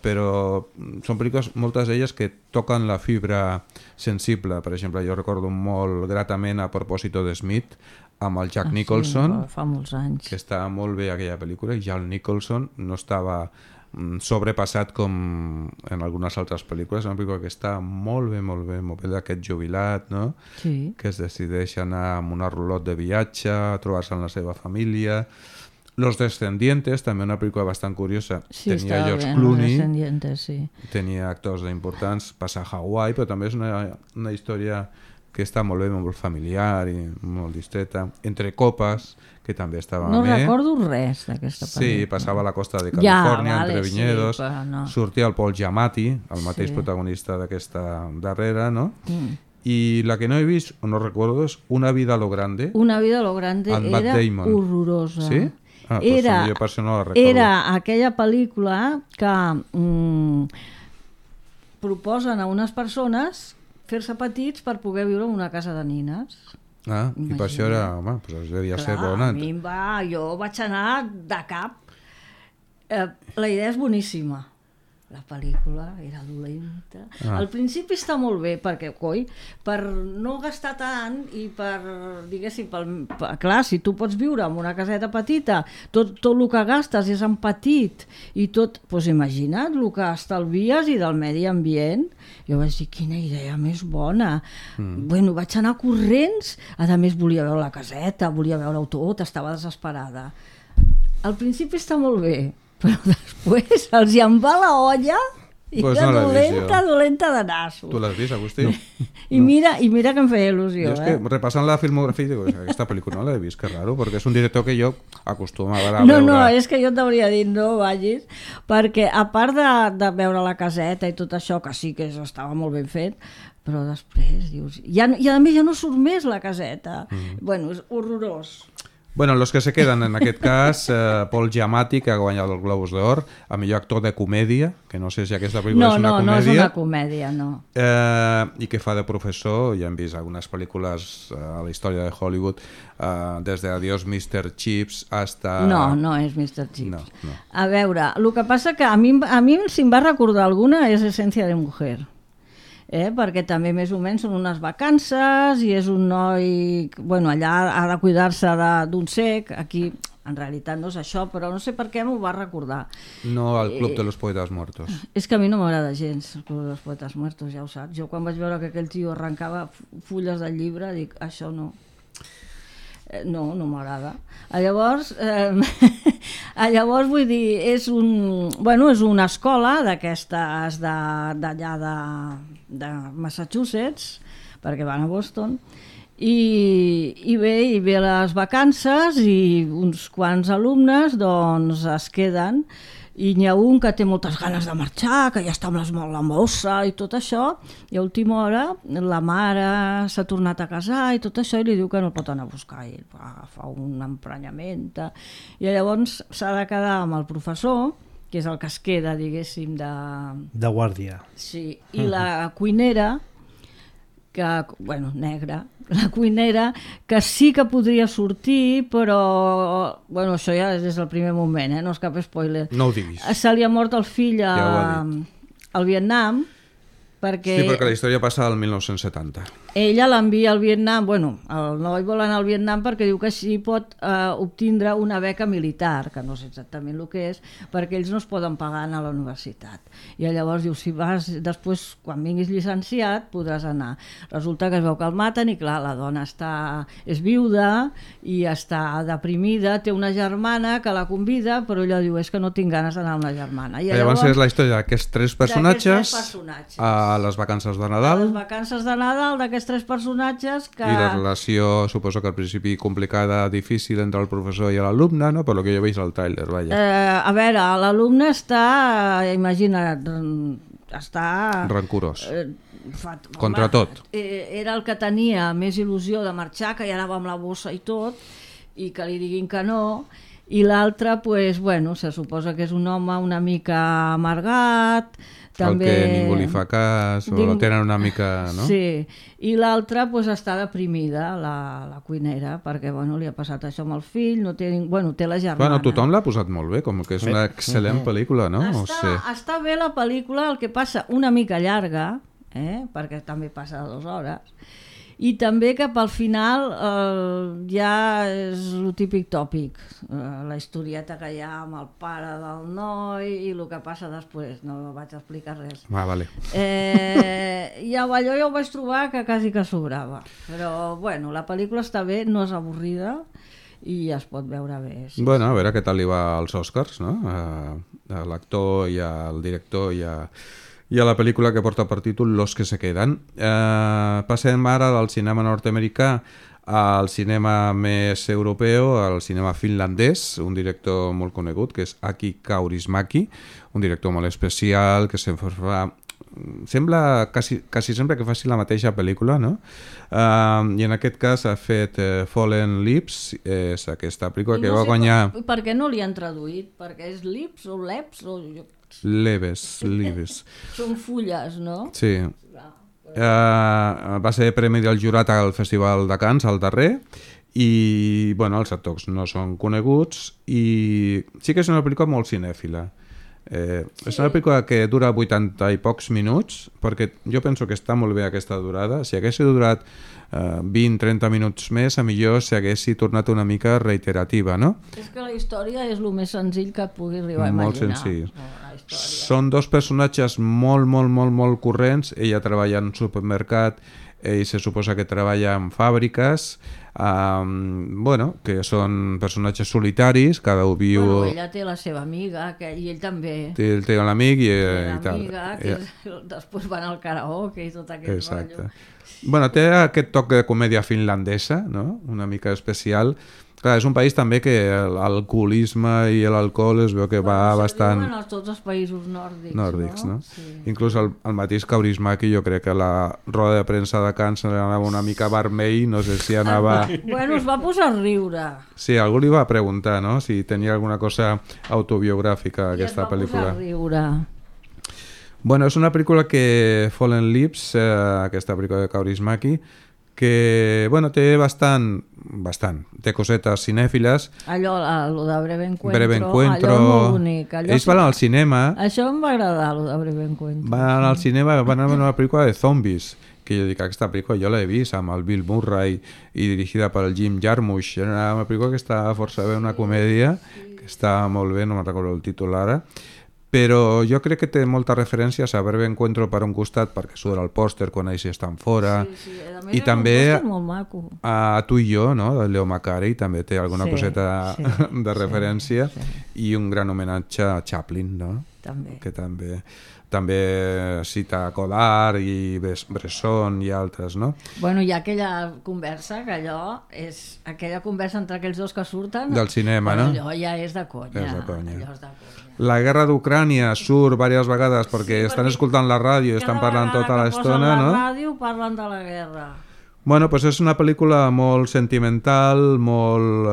però són pel·lícules, moltes d'elles que toquen la fibra sensible. Per exemple, jo recordo molt gratament A propòsito de Smith, amb el Jack Nicholson, sí, fa molts anys. que estava molt bé aquella pel·lícula, i Jack Nicholson no estava sobrepassat com en algunes altres pel·lícules. És una pel·lícula que està molt bé d'aquest jubilat, no? Sí. Que es decideix anar amb una rulot de viatge, a trobar-se amb la seva família. Los Descendientes, també una pel·lícula bastant curiosa. Sí, tenia George bé, Clooney, sí. tenia actors importants, passa a Hawaii, però també és una història que està molt bé, molt familiar i molt distreta. Entre copes, que també estava No bé. recordo res d'aquesta pel·lícula. Sí, passava a la costa de Califòrnia, vale, entre vinyedos. Sí, però no. Sortia el Paul Giamatti, el mateix Sí. protagonista d'aquesta darrera, no? I la que no he vist, o no recordo, és Una vida a lo grande. Una vida a lo grande Amb Matt era Damon. horrorosa. Sí? Ah, doncs Era, jo per això no la recordo. era aquella pel·lícula que proposen a unes persones fer-se petits per poder viure en una casa de nines. Ah, i per això era, home, doncs devia ser bona. A mi jo vaig anar de cap. La idea és boníssima. La pel·lícula era dolenta. Al principi està molt bé, perquè, per no gastar tant i per, diguéssim, clar, si tu pots viure en una caseta petita, tot el que gastes és en petit i tot, doncs imagina't el que estalvies i del medi ambient. Jo vaig dir, quina idea més bona. Bueno, vaig anar corrents, a més volia veure la caseta, volia veure-ho tot, estava desesperada. Al principi està molt bé, però després els hi en va la olla i Pues era no l'he vist jo. dolenta de nassos. Tu l'has vist, Agustí? I mira que em feia il·lusió. Jo és que repassant la filmografia dic, aquesta pel·lícula no l'he vist, que raro, perquè és un director que jo acostumava a veure. No, és que jo et hauria dit no vagis, perquè a part de veure la caseta i tot això, que sí que estava molt ben fet, però després dius... I a més ja no surt més la caseta. Bueno, és horrorós. Bueno, Los que se quedan, en aquest cas, Paul Giamatti, que ha guanyat el Globus d'Or, a millor actor de comèdia, que no sé si aquesta pel·lícula és una comèdia. No és una comèdia, no. I que fa de professor, ja hem vist algunes pel·lícules a la història de Hollywood, des de Adiós Mr. Chips hasta... No és Mr. Chips. No. A veure, el que passa que a mi si em va recordar alguna és Essència de Mujer. Perquè també més o menys són unes vacances i és un noi, bueno, allà ha de cuidar-se d'un cec, aquí en realitat no és això, però no sé per què m'ho va recordar. No al Club de los Poetas Muertos. És que a mi no m'agrada gens el Club de los Poetas Muertos, ja ho saps. Jo quan vaig veure que aquell tio arrencava fulles del llibre dic, això no. No m'agrada. Llavors, vull dir, és una escola d'aquestes d'allà de Massachusetts, perquè van a Boston, i ve les vacances i uns quants alumnes doncs es queden i n'hi ha un que té moltes ganes de marxar, que ja està amb la mossa i tot això, i a última hora la mare s'ha tornat a casar i tot això, i li diu que no el pot anar a buscar, i fa un emprenyament, i llavors s'ha de quedar amb el professor, que és el que es queda, diguéssim, de guàrdia. Sí, i la cuinera, negra, la cuinera, que sí que podria sortir, però això ja és des del primer moment, no és cap spoiler. No ho diguis. Se li ha mort el fill al Vietnam, perquè... Sí, perquè la història passa al 1970. Ella l'envia al Vietnam, bueno, el noi vol anar al Vietnam perquè diu que així pot obtindre una beca militar, que no sé exactament el que és, perquè ells no es poden pagar a la universitat. I llavors diu, si vas després, quan vinguis llicenciat, podràs anar. Resulta que es veu que el maten i clar, la dona és viuda i està deprimida, té una germana que la convida, però ella diu, és que no tinc ganes d'anar amb la germana. I llavors és la història d'aquests tres personatges a les vacances de Nadal. A les vacances de Nadal d'aquests tres personatges que... I la relació, suposo que al principi complicada, difícil entre el professor i l'alumne, no? Per lo que jo veig al tràiler, vaja. A veure, l'alumne està, imagina't, està... Rancorós. Contra tot. Era el que tenia més il·lusió de marxar, que ja anava amb la bossa i tot, i que li diguin que no, i l'altre, pues, bueno, se suposa que és un home una mica amargat, també... El que ningú li fa cas, o lo tenen una mica... No? Sí, i l'altra pues, està deprimida, la cuinera, perquè bueno, li ha passat això amb el fill, no té, bueno, té la germana. Bueno, tothom l'ha posat molt bé, com que és una excel·lent pel·lícula, no? Està bé la pel·lícula, el que passa una mica llarga, perquè també passa 2 hores, i també que pel final ja és el típic tòpic, la historieta que hi ha amb el pare del noi i el que passa després, no vaig explicar res. Vale. I allò ja ho vaig trobar que quasi que sobrava, però bueno, la pel·lícula està bé, no és avorrida i es pot veure bé. Sí. Bueno, a veure què tal li va als Oscars, no? A l'actor i al director i a la pel·lícula que porta per títol Los que se quedan. Passem ara del cinema nord-americà al cinema més europeu, al cinema finlandès, un director molt conegut que és Aki Kaurismäki, un director molt especial que sembla quasi sempre que faci la mateixa pel·lícula, no? I en aquest cas ha fet Fallen Lips, és aquesta pel·lícula que va guanyar... Per què no li han traduït? Perquè és Lips o Leps o... Leves. Són fulles, no? Sí. Va ser premi del jurat al Festival de Cannes, al darrer, i bueno, els actors no són coneguts i sí que és una pel·lícula molt cinèfila. És una pel·lícula que dura 80 i pocs minuts, perquè jo penso que està molt bé aquesta durada. Si hagués durat 20-30 minuts més, a millor s'haguessi tornat una mica reiterativa, no? És que la història és el més senzill que et pugui arribar a imaginar. Molt senzill. Són 2 personatges molt corrents. Ella treballa en un supermercat, ell se suposa que treballa en fàbriques, bueno, que són personatges solitaris, cada un viu... Bueno, ella té la seva amiga, i ell també. Ell té l'amic i tal. L'amiga, que després van al karaoke i tot aquest rotllo. Bueno, té aquest toc de comèdia finlandesa, no? Una mica especial. Clar, és un país també que l'alcoholisme i l'alcohol es veu que va bastant... Diuen a tots els països nòrdics, no? Sí. Inclús el mateix Kaurismäki, jo crec que la roda de premsa de Cannes anava una mica vermell, no sé si anava... Bueno, es va posar a riure. Sí, algú li va preguntar, no?, si tenia alguna cosa autobiogràfica aquesta pel·lícula. I es va posar a riure. Bueno, és una pel·lícula que Fallen Lips, aquesta pel·lícula de Kaurismäki, que, bueno, té té cosetes cinèfiles. Allò de Breve Encuentro, allò és molt bonic. Ells van al cinema. Això em va agradar, allò de Breve Encuentro. Van anar al cinema, van anar a una pel·lícula de zombis, que jo dic, aquesta pel·lícula jo l'he vist amb el Bill Murray i dirigida per el Jim Jarmusch. Era una pel·lícula que està força bé, una comèdia, que està molt bé, no me'n recordo el títol ara, però jo crec que té moltes referències a Breve Encuentro per un costat, perquè surt el pòster quan ells estan fora, i també a Tu i jo, no?, de Leo Macari, també té alguna coseta de referència, i un gran homenatge a Chaplin, no?, que també cita Godard i Bresson i altres, no? Bueno, hi ha aquella conversa, que allò és aquella conversa entre aquells dos que surten... Del cinema, no? Allò ja és de conya. És de conya. La guerra d'Ucrània surt diverses vegades perquè estan escoltant la ràdio i estan parlant tota l'estona, no? La ràdio parlen de la guerra. Bueno, doncs és una pel·lícula molt sentimental, molt,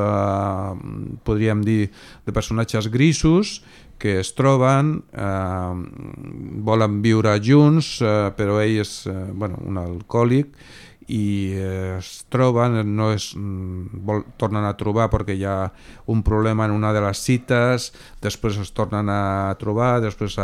podríem dir, de personatges grisos, que es troben, volen viure junts, però ell és un alcohòlic i es troben, tornen a trobar perquè hi ha un problema en una de les cites, després es tornen a trobar, després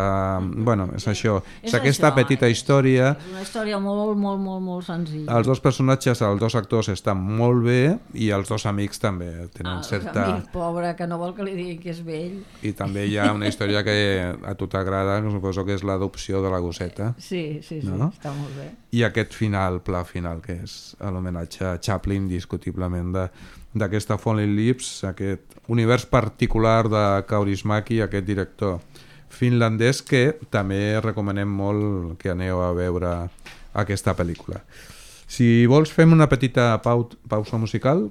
bueno, és això, és aquesta petita història. És una història molt senzilla. Els dos personatges, els dos actors estan molt bé i els dos amics també tenen certa... Amic pobre que no vol que li diguin que és vell. I també hi ha una història que a tu t'agrada, suposo que és l'adopció de la gosseta. Sí, no? Està molt bé. I aquest pla final, que és l'homenatge a Chaplin, indiscutiblement, d'aquesta Falling Lips, aquest univers particular de Kaurismäki, aquest director finlandès, que també recomanem molt que aneu a veure aquesta pel·lícula. Si vols, fem una petita pausa musical,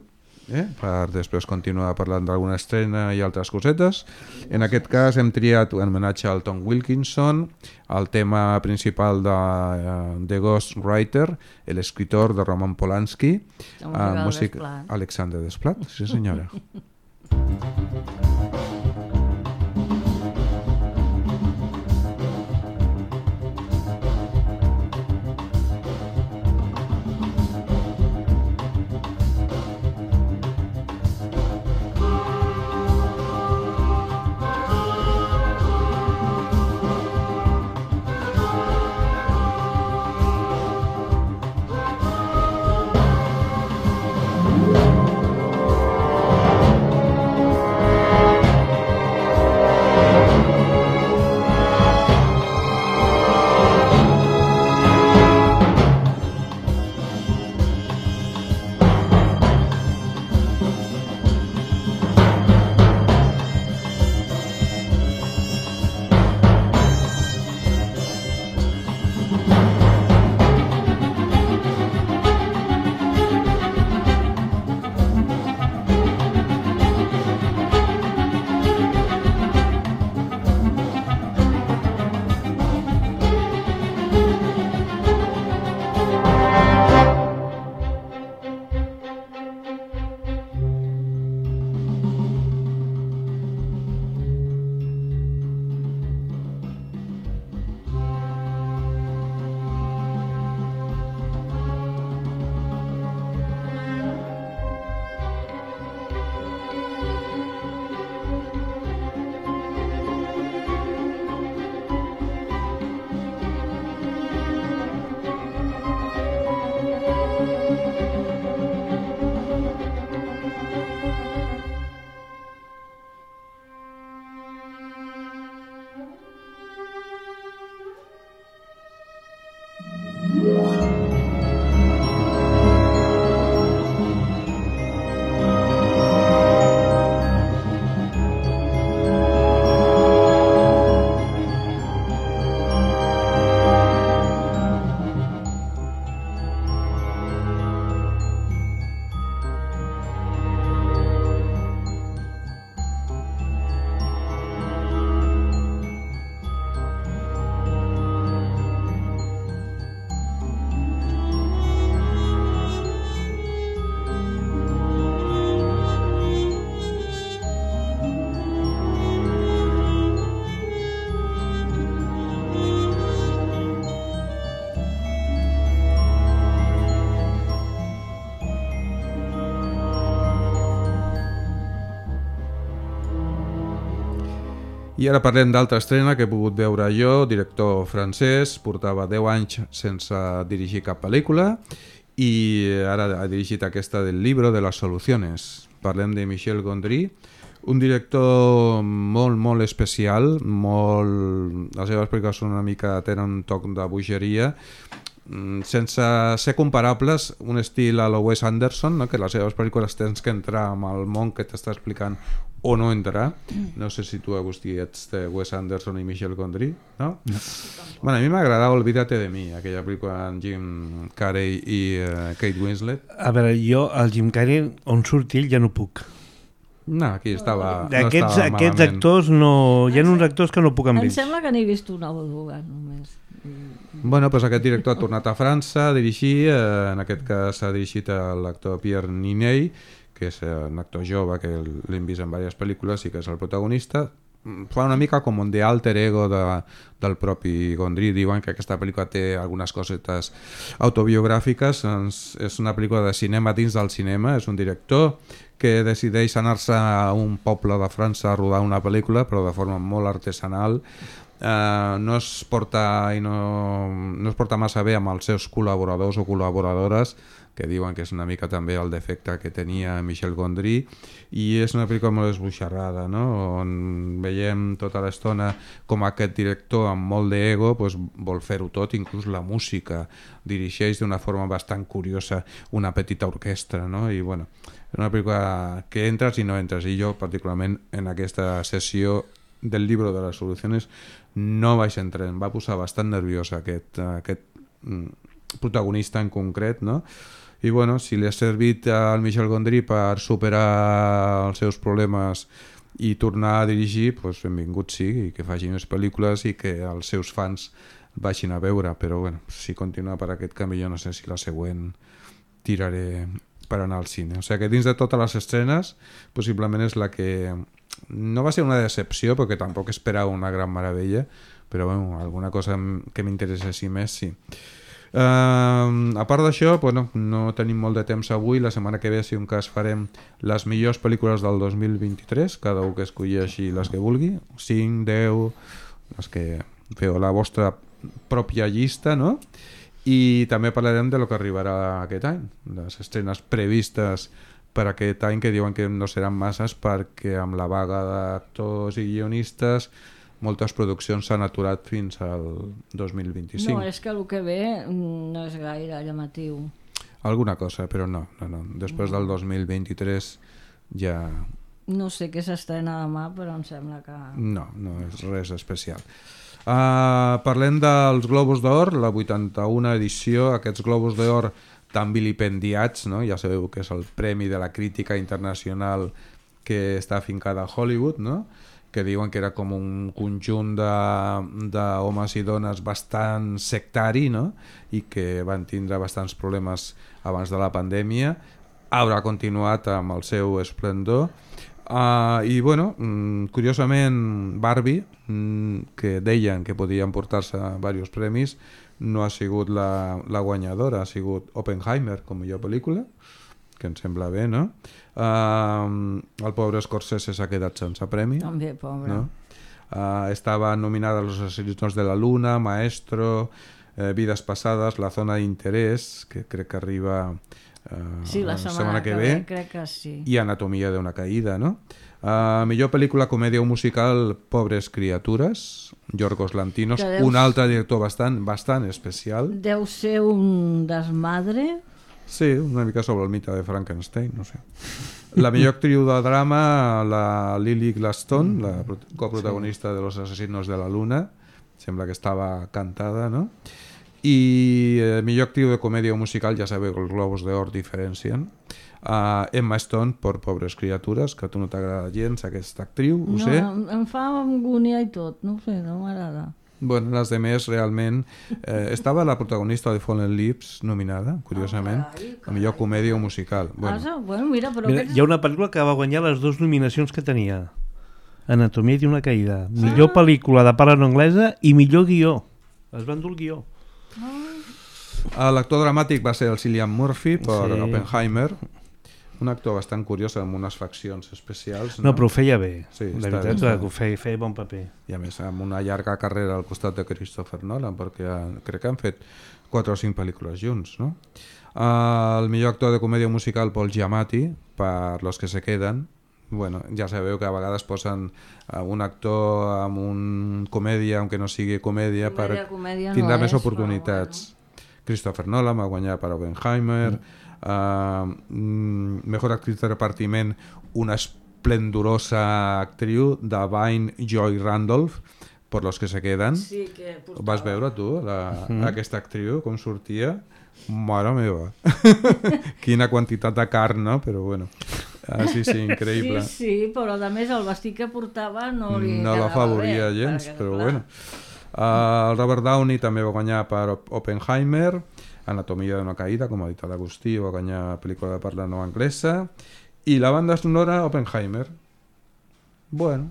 per després continuar parlant d'alguna estrena i altres cosetes. En aquest cas hem triat un homenatge al Tom Wilkinson, el tema principal de The Ghost Writer, l'escriptor de Roman Polanski, música Alexander Desplat, sí senyora. I ara parlem d'altra estrena que he pogut veure jo, director francès, portava 10 anys sense dirigir cap pel·lícula i ara ha dirigit aquesta del Libro de las Soluciones. Parlem de Michel Gondry, un director molt especial, les seves pel·lícules són una mica, tenen un toc de bogeria, sense ser comparables, un estil a la Wes Anderson, no? Que les seves pel·lícules tens que entrar amb el món que t'està explicant o no entrar. No sé si tu, Agustí, ets de Wes Anderson i Michel Gondry, no? No. Bueno, a mi m'agradava Olvídate de mi, aquella pel·lícula amb Jim Carrey i Kate Winslet. A veure, jo el Jim Carrey, on surt ell, ja no puc. No, aquí estava Aquests actors no... Hi ha uns actors que no puc amb ells. Em sembla que n'he vist una o dues només. Bueno, doncs aquest director ha tornat a França a dirigir, en aquest cas ha dirigit l'actor Pierre Niney, que és un actor jove que l'hem vist en diverses pel·lícules i que és el protagonista. fa una mica com un de alter ego del propi Gondry. Diuen que aquesta pel·lícula té algunes cosetes autobiogràfiques, és una pel·lícula de cinema dins del cinema, és un director que decideix anar-se a un poble de França a rodar una pel·lícula, però de forma molt artesanal. No es porta massa bé amb els seus col·laboradors o col·laboradores, que diuen que és una mica també el defecte que tenia Michel Gondry, i és una pel·lícula molt esboixarrada, no? On veiem tota l'estona com aquest director amb molt d'ego vol fer-ho tot, inclús la música, dirigeix d'una forma bastant curiosa una petita orquestra, no? I bueno, és una pel·lícula que entres i no entres, i jo particularment en aquesta sessió del llibre de les solucions no vaig entrar, em va posar bastant nerviosa aquest protagonista en concret, no? I bueno, si li ha servit al Michel Gondry per superar els seus problemes i tornar a dirigir, doncs benvingut sigui, que faci més pel·lícules i que els seus fans vagin a veure, però bueno, si continua per aquest camí jo no sé si la següent tiraré per anar al cine. O sigui que dins de totes les escenes possiblement és la que no va ser una decepció perquè tampoc esperava una gran meravella, però bueno, alguna cosa que m'interessessi més sí. A part d'això, bueno, no tenim molt de temps avui. La setmana que ve, si un cas, farem les millors pel·lícules del 2023, cada un que escolleixi les que vulgui, 5, 10, les que feu la vostra pròpia llista, no? I també parlarem de lo que arribarà aquest any, les estrenes previstes per aquest any, que diuen que no seran masses perquè amb la vaga d'actors i guionistes moltes produccions s'han aturat fins al 2025. No, és que el que ve no és gaire llamatiu. Alguna cosa, però no. Després del 2023 ja... No sé què s'estrena demà, però em sembla que... No és res especial. Parlem dels Globus d'Or, la 81a edició. Aquests Globus d'Or tan vilipendiats, no? Ja sabeu que és el premi de la crítica internacional que està afincada a Hollywood, no? Que diuen que era com un conjunt d'homes i dones bastant sectari, no? I que van tindre bastants problemes abans de la pandèmia. Haurà continuat amb el seu esplendor. I bueno, curiosament Barbie, que deien que podien portar-se diversos premis, no ha sigut la guanyadora, ha sigut Oppenheimer com a millor pel·lícula, que em sembla bé, no? El pobre Scorsese s'ha quedat sense premi. També, pobre. No? Estava nominada a Los asesinos de la luna, Maestro, Vidas pasadas, La zona d'interès, que crec que arriba sí, la setmana que ve, crec que sí. I Anatomia d'una caïda, no? Millor pel·lícula, comèdia o musical, Pobres criatures, Yorgos Lanthimos, un altre director bastant especial. Deu ser un desmadre. Sí, una mica sobre el mite de Frankenstein, no sé. La millor actriu de drama, la Lily Gladstone, la coprotagonista de Los asesinos de la luna, sembla que estava cantada, no? I millor actriu de comèdia o musical, ja sabeu que els Globus d'Or diferencien. Emma Stone per Pobres criatures, que a tu no t'agrada gens aquesta actriu, ho sé. No, em fa angúnia i tot, no sé, no m'agrada. Bueno, les demés realment... estava la protagonista de Fallen Leaves nominada, curiosament, a millor comèdia o musical. Bueno, mira, però mira, hi ha una pel·lícula que va guanyar les dues nominacions que tenia. Anatomia d'una caïda. Millor pel·lícula de parla no anglesa i millor guió. Es va endur el guió. L'actor dramàtic va ser el Cillian Murphy per Oppenheimer, un actor bastant curiós amb unes faccions especials. No, però ho feia bé. Sí, la veritat que feia bon paper. I a més, amb una llarga carrera al costat de Christopher Nolan, perquè crec que han fet 4 o 5 pel·lícules junts, no? El millor actor de comèdia musical, Paul Giamatti, per Los que se queden. Bueno, ja sabeu que a vegades posen un actor amb un comèdia, aunque no sigui comèdia, tindrà més oportunitats. Christopher Nolan va guanyar per Oppenheimer. Mejor actriz de repartiment, una esplendorosa actriu, Davine Joy Randolph, per Los que se queden. Sí, que vas veure tu aquesta actriu com sortia? Mare meva. Quina quantitat de carn, no? Però bueno, sí, increïble. Sí, però a més el vestit que portava no li no la favoria gens, però bueno. El Robert Downey també va guanyar per Oppenheimer. Anatomia d'una caïda, com ha dit l'Agustí, va guanyar pel·lícula de parla no anglesa. I la banda sonora, Oppenheimer. Bueno,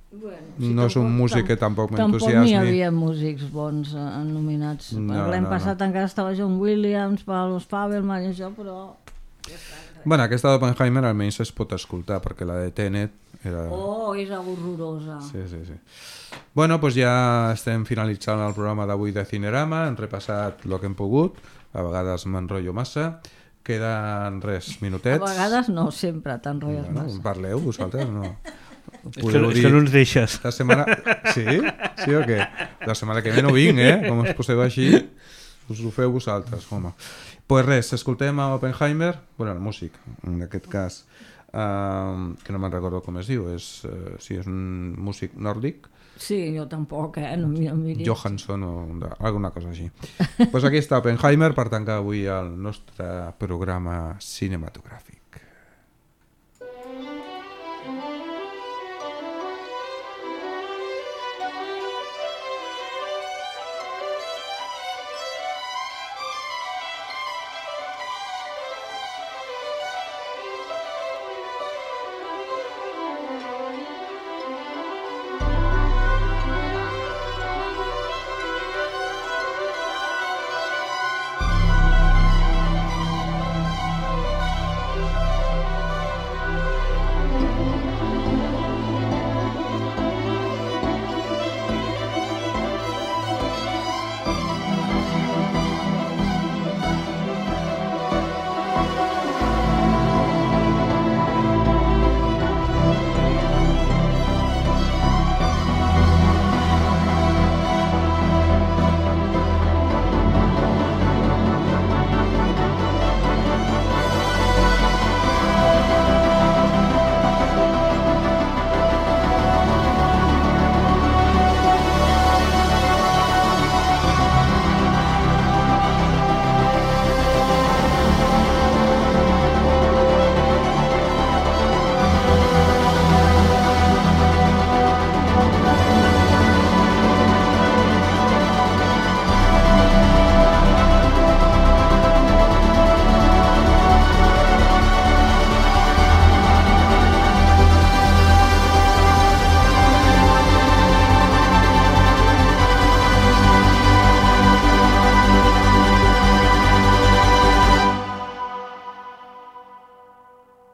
Bueno, no és un músic que tampoc m'entusiasmi. Tampoc n'hi havia músics bons nominats. L'any passat encara estava John Williams, Paul Fabelman i això, però... Bueno, aquesta d'Oppenheimer almenys es pot escoltar, perquè la de Tenet era... Oh, és horrorosa. Sí. Bueno, doncs ja estem finalitzant el programa d'avui de Cinerama, hem repassat el que hem pogut, a vegades m'enrotllo massa, queden minutets. A vegades no, sempre t'enrotlles massa. Parleu vosaltres, no? És que no ens deixes. La setmana... Sí? Sí o què? La setmana que ve no vinc, Com us poseu així, us ho feu vosaltres, home. Pues res, escoltem a Oppenheimer, bueno, el músic, en aquest cas, que no me'n recordo com es diu, si és un músic nòrdic. Sí, jo tampoc, no miris. Johansson o alguna cosa així. Pues aquí està Oppenheimer per tancar avui el nostre programa cinematogràfic.